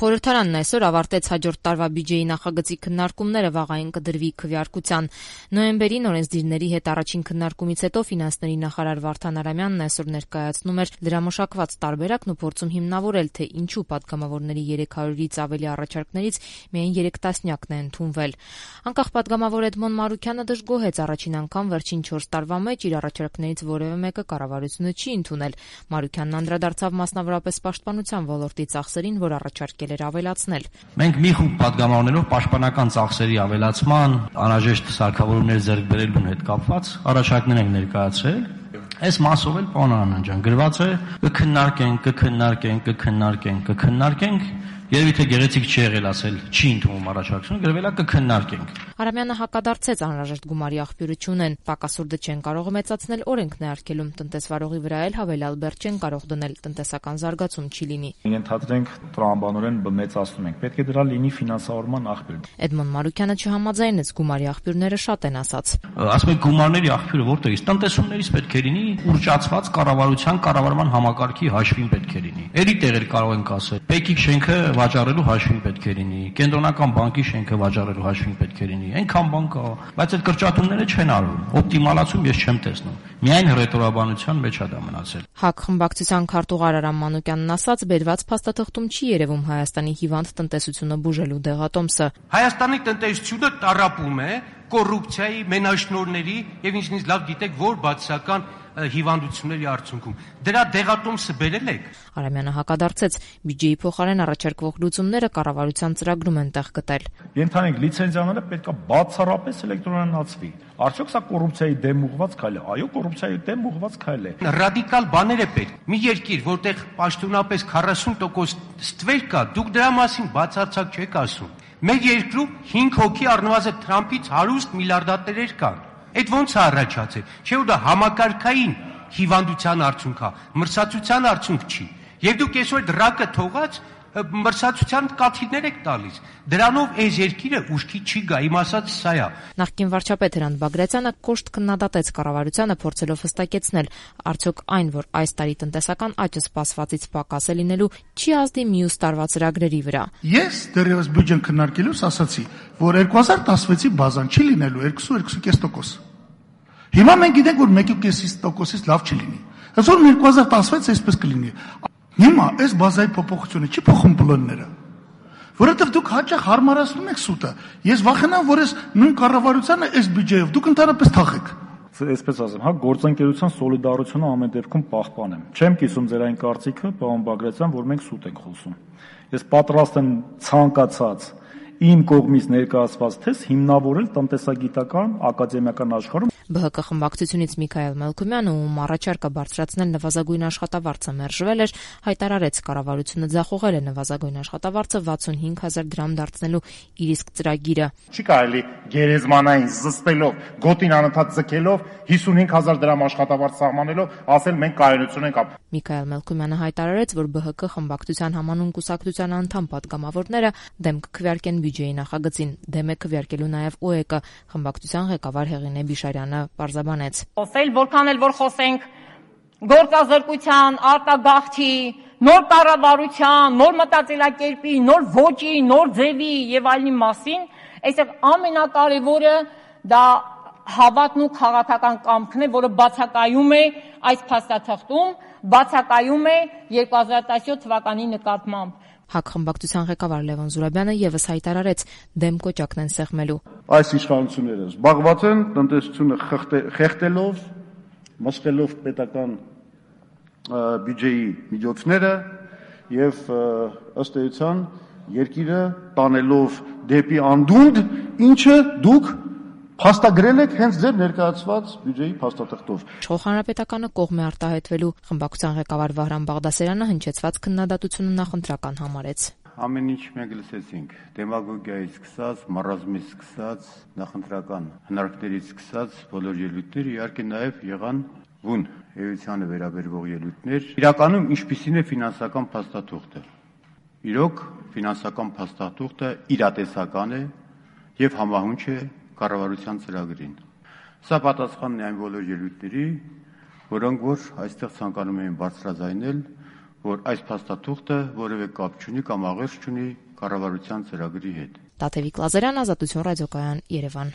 Խորհրդարանն այսօր ավարտեց հաջորդ տարվա բյուջեի նախագծի քննարկումները, վաղային կդրվի քվեարկության։ Նոյեմբերին օրենսդիրների հետ առաջին քննարկումից հետո ֆինանսների նախարար Վարդան Արամյանն այսօր ներկայացնում էր դրամաշակված տարբերակն ու փորձում հիմնավորել, թե ինչու պատգամավորների 300-ից ավելի առաջարկներից միայն 3 տասնյակն է ընդունվել։ Անկախ պատգամավոր Էդմոն Մարուքյանը դժգոհեց առաջին անգամ վերջին 4 տարվա մեջ իր առաջարկներից որևէ մեկը կառավարությունը չի ընդունել։ Մարուքյանն անդրադարձավ մասնավորապես պաշտպանության ոլորտի ծախսերին, որ առաջարկել էր ավելացնել։ Մենք մի խումբ պատգամավորներով պաշտպանական ծախսերի ավելացման, անհրաժեշտ սարքավորումներ ձեռք բերելուն հետ կապված առաջարկներ ենք ներկայացրել։ Այս մասով էլ պարոն Արամյան ջան գրված է կքննարկենք, երևի թե գեղեցիկ չի եղել ասել չի ընդունում առաջարկությունը, գրվել է կքննարկենք։ Արամյանը հակադարձեց անհրաժեշտ գումարի աղբյուրը չունեն, պակասուրդը չեն կարող մեծացնել, օրենքն է արգելում, տնտեսվարողի վրա էլ հավելյալ բեռ չեն կարող դնել, տնտեսական զարգացում չի լինի։ Ենթադրենք տրամաբանորեն մեծացնում ենք, պետք է դրա լինի ֆինանսավորման աղբյուր։ Էդմոն Մարուքյանը չհամաձայնեց, գումարի աղբյուրները շատ են ասած։ Ասում եք գումարների աղբյուրը որտեղից, տնտեսումներից պետք է լինի, ուռճացված կառավարման համակարգի հաշվին պետք է լինի։ Էլի տեղեր կարող ենք ասել, Պեկիկ շենքը վաճառելու հաշվին պետք է լինի, կենտրոնական բանկի շենքը վաճառելու հաշվին պետք է լինի, այնքան բան կա, բայց այդ կրճատումները չեն արվում, օպտիմալացում ես չեմ տեսնում, միայն հռետորաբանության մեջ է դա մնացել։ ՀԱԿ խմբակցության քարտուղար Արամ Մանուկյանն ասաց, բերված փաստաթղթում չի երևում Հայաստանի հիվանդ տնտեսությունը բուժելու դեղատոմսը։ Հայաստանի տնտեսությունը տառապում է կոռուպցիայի, մենաշնորհների եւ ինչնից լավ գիտեք, որ բացասական հիվանդությունների արդյունքում։ Դրա դեղատոմսը բերել եք։ Արամյանը հակադարձեց, բյուջեի փոխարեն առաջարկվող լուծումները կառավարության ծրագրում են տեղ գտել։ Ենթանենք լիցենզիաները պետք է բացառապես էլեկտրոնացվի։ Արդյոք սա կոռուպցիայի դեմ ուղղված քայլ է։ Այո, կոռուպցիայի դեմ ուղղված քայլ է։ Ռադիկալ բաներ է պետք։ Մի երկիր, որտեղ պաշտոնապես 40% ստվեր կա, դուք դրա մասին բացարձակ չեք ասում։ Մեր երկրում 5 հոգի առնվազն Թրամփից հարուստ միլիարդատերեր կան։ Այդ ոնց է առաջացել։ Չէ՞ որ դա համակարգային հիվանդության արդյունք է, մրցակցության արդյունք չի։ Եվ դուք այսօր դրակը թողած մրցակցության կաթիլներ եք տալիս։ Դրանով այս երկիրը ուշքի չի գա, իմ ասած սա է։ Նախկին վարչապետ Հրանտ Բագրատյանը կոշտ քննադատեց կառավարությանը, փորձելով հստակեցնել, արդյոք այն, որ այս տարի տնտեսական աճը սպասվածից պակաս է լինելու, չի ազդի մյուս տարվա ծրագրերի վրա։ Ես դեռևս բյուջեն քննարկելուց ասացի, որ 2016-ի բազան չի լինելու 2-2.5%։ Հիմա մենք գիտենք, որ 1.5%-ից լավ չի լինի։ Այսօր 2016 այսպես կլինի։ Հիմա այս բազայի փոփոխությունը չի փոխում պլանները, որովհետև դուք հաճախ հարմարացնում եք սուտը։ Ես վախենամ, որ այս նույն կառավարությանը այս բյուջեով դուք ընդհանրապես թախեք։ Այսպես ասեմ, գործընկերության սոլիդարությունը ամեն դեպքում պահպանեմ։ Չեմ կիսում ձեր այն կարծիքը, պարոն Բագրատյան, որ մենք սուտ ենք խոսում։ Ես պատրաստ եմ ցանկացած իմ կողմից ներկայացված թեզ հիմնավորել տնտեսագիտական ակադեմիական աշխարհում։ ԲՀԿ խմբակցությունից Միքայել Մելքումյանը, ում առաջարկը բարձրացնել նվազագույն աշխատավարձը մերժվել էր, հայտարարեց կառավարությունը ձախողել է նվազագույն աշխատավարձը 65,000 դրամ դարձնելու իր իսկ ծրագիրը։ Չի կարելի գերեզմանային զսպելով, գոտին անընդհատ ձգելով, 55,000 դրամ աշխատավարձ սահմանելով, ասել մենք կայունություն ենք ապրում։ Միքայել Մելքումյանը հայտարարեց, որ ԲՀԿ խմբակցության համանուն կուսակցության անդամ պատգամավորները դեմ կքվեարկեն բյուջեի նախագծին, դեմ է քվեարկելու նաև ՕԵԿ-ը, խմբակցության ղեկավար Հեղինե Բիշարյանը պարզաբանեց։ Որքան էլ որ խոսենք գործազրկության, արտագաղթի, նոր կառավարության, նոր մտածելակերպի, նոր ոճի, նոր ձևի եւ այլնի մասին, այստեղ ամենակարևորը դա հավատն ու քաղաքական կամքն է, որը բացակայում է այս փաստաթղթում, բացակայում է 2017 թվականի նկատմամբ։ ՀԱԿ խմբակցության ղեկավար Լևոն Զուրաբյանը եւս հայտարարեց, դեմ կոճակն են սեղմելու։ Այս իշխանությունները զբաղված են տնտեսությունը խեղդելով, մսխելով պետական բյուջեի միջոցները եւ ըստ էության երկիրը տանելով դեպի անդունդ, ինչը դուք փաստագրել եք հենց ձեր ներկայացված բյուջեի փաստաթղթով։ Իշխող հանրապետականը կողմ է արտահայտվելու, խմբակցության ղեկավար Վահրամ Բաղդասարյանը հնչեցված քննադատությունը նախընտրական համարեց։ Ամեն ինչ մենք լսեցինք, դեմագոգիայից սկսած, մարազմից սկսած, նախընտրական հնարքներից սկսած բոլոր ելույթները, իհարկե նաև եղան բուն էությանը վերաբերող ելույթներ։ Իրականում ինչպիսին է ֆինանսական փաստաթուղթը։ Իրոք ֆինանսական փաստաթուղթը իրատեսական է եւ համահունչ է կառավարության ծրագրին։ Սա պատասխանն է այն բոլոր ելույթների, որոնք որ այստեղ ցանկանում էին բարձրաձայնել որ այս փաստաթուղթը որևէ կապ չունի կամ աղերս չունի կառավարության ծրագրի հետ։ Տաթևիկ Լազարյան, Ազատություն ռադիոկայան, Երևան։